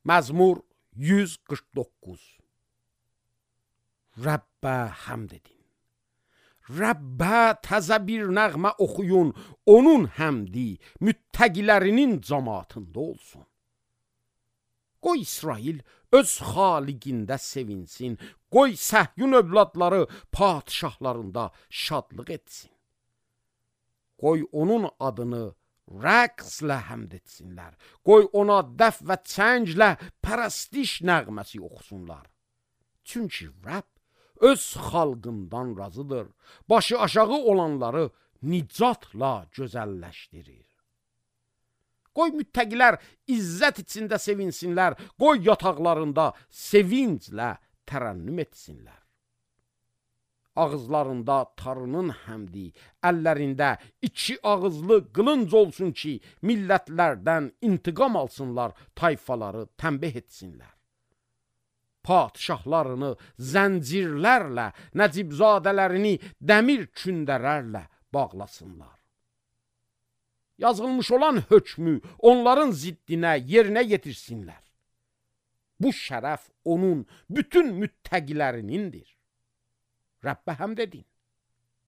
Məzmur 149. Rəbbə həmd edin. Rəbbə təzə bir nəğmə oxuyun, onun həmdi müttəqilərinin cəmaatında olsun. Qoy İsrail öz xaliqində sevinsin, qoy Səhyun övladları padişahlarında şadlıq etsin. Qoy onun adını rəqslə həmd etsinlər, qoy ona dəf və çənglə pərəstiş nəğməsi oxusunlar. Çünki Rəbb öz xalqından razıdır, başı aşağı olanları nicatla gözəlləşdirir. Qoy müttəqilər izzət içində sevinsinlər, qoy yataqlarında sevinclə tərənnüm etsinlər. Ağızlarında tarının həmdi, əllərində iki ağızlı qılınc olsun ki, millətlərdən intiqam alsınlar, tayfaları tənbih etsinlər. Padişahlarını zəncirlərlə, nəcibzadələrini dəmir kündələrlə bağlasınlar. Yazılmış olan hökmü onların ziddinə yerinə yetirsinlər. Bu şərəf onun bütün müttəqilərinindir. Rəbbə həmd edin.